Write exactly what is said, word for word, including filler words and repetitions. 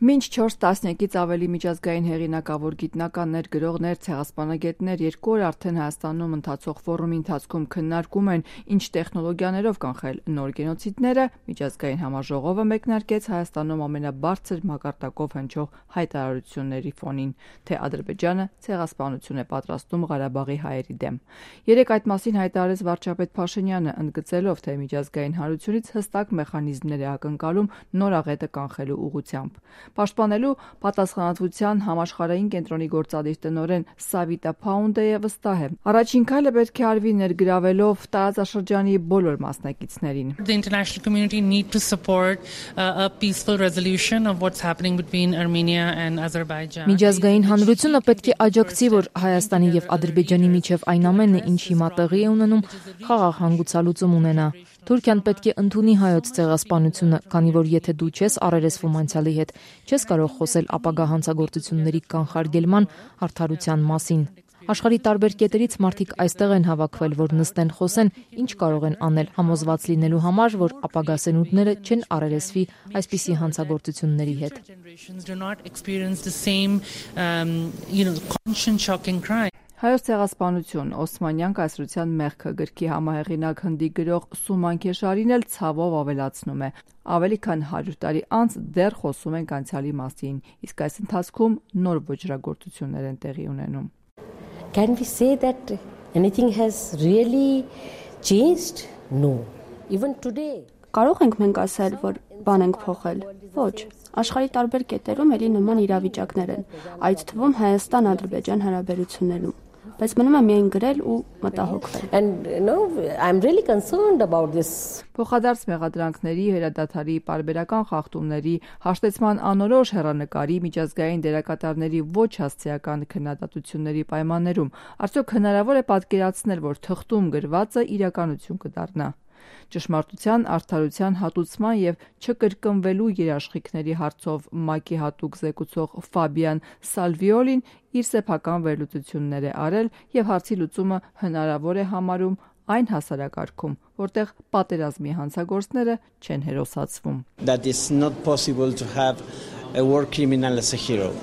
Մինչ չորս տասնյակից ավելի միջազգային հեղինակավոր գիտնականներ, գրողներ, ցեղասպանագետներ երկու օր արդեն Հայաստանում ընթացող ֆորումի ընթացքում քննարկում են ինչ տեխնոլոգիաներով կանխել նոր գենոցիդները, միջազգային համաժողովը մեկնարկեց Հայաստանում ամենաբարձր մակարդակով հնչող հայտարարությունների ֆոնին, թե Ադրբեջանը ցեղասպանություն է պատրաստում Ղարաբաղի հայերի դեմ։ Երեկ այդ մասին հայտարարեց վարչապետ Փաշինյանը, ընդգծելով, թե միջազգային հանրությունից հստակ մեխանիզմներ է ակնկալում նոր աղետը կանխելու ուղղությամբ։ Պաշտպանելու պատասխանատվության համաշխարհային կենտրոնի գործադիր տնօրեն Սավիտա Փաունդեը վստահ է։ Առաջին քայլը պետք է արվի ներգրավելով տարածաշրջանի բոլոր մասնակիցներին։ The international community need to support a peaceful resolution of what's happening between Armenia and Azerbaijan. Միջազգային հանրությունը պետք է աջակցի, որ Հայաստանի եւ Ադրբեջանի միջև այն ամենը, ինչ հիմա տեղի է ունենում, խաղաղ հանգուցալուծում ունենա։ Թուրքիան պետք է ընդունի հայոց ցեղասպանությունը, քանի որ եթե դու չես առերեսվում անցյալի հետ, չես կարող խոսել ապագա հանցագործությունների կանխարգելման արդարության մասին։ Աշխարհի տարբեր կետերից մարդիկ այստեղ են հավաքվել, որ նստեն խոսեն, ինչ կարող են անել, համոզված լինելու համար, որ ապագա սերունդները չեն առերեսվի այսպիսի հանցագործությունների հետ։ Հայոց ցեղասպանություն Օսմանյան կայսրության մեղքը գրքի համահեղինակ հնդի գրող Սուման Քեշարին էլ ցավով ավելացնում է. ավելի քան հարյուր տարի անց դեռ խոսում ենք անցյալի մասին, իսկ այս ընթացքում նոր ոճրագործություններ են տեղի ունենում։ Can we say that anything has really changed? No. Even today. Կարող ենք մենք ասել, որ բան ենք փոխել։ Ոչ, աշխարհի տարբեր կետերում էլի նման իրավիճակներ են, այդ թվում Հայաստան-Ադրբեջան հարաբերություններում, բայց մնում է միայն գրել ու մտահոգվել։ And you know, I'm really concerned about this. Փոխադարձ մեղադրանքների, հրադադարի, պարբերական խախտումների, հաշտեցման անորոշ հեռանկարի, միջազգային դերակատարների ոչ հասցեական քննադատությունների պայմաններում արդյոք հնարավոր է պատկերացնել, որ թղթում գրվածը իրականություն կդառնա։ Ճշմարտության, արդարության հատուցման եւ չկրկնվելու երաշխիքների հարցով ՄԱԿ-ի հատուկ զեկուցող Ֆաբիան Սալվիոլին իր սեփական վերլուծություններ է արել եւ հարցի լուծումը հնարավոր է համարում այն հասարակարգում, որտեղ պատերազմի հանցագործները չեն հերոսացվում։ That is not possible to have a war criminal as a hero.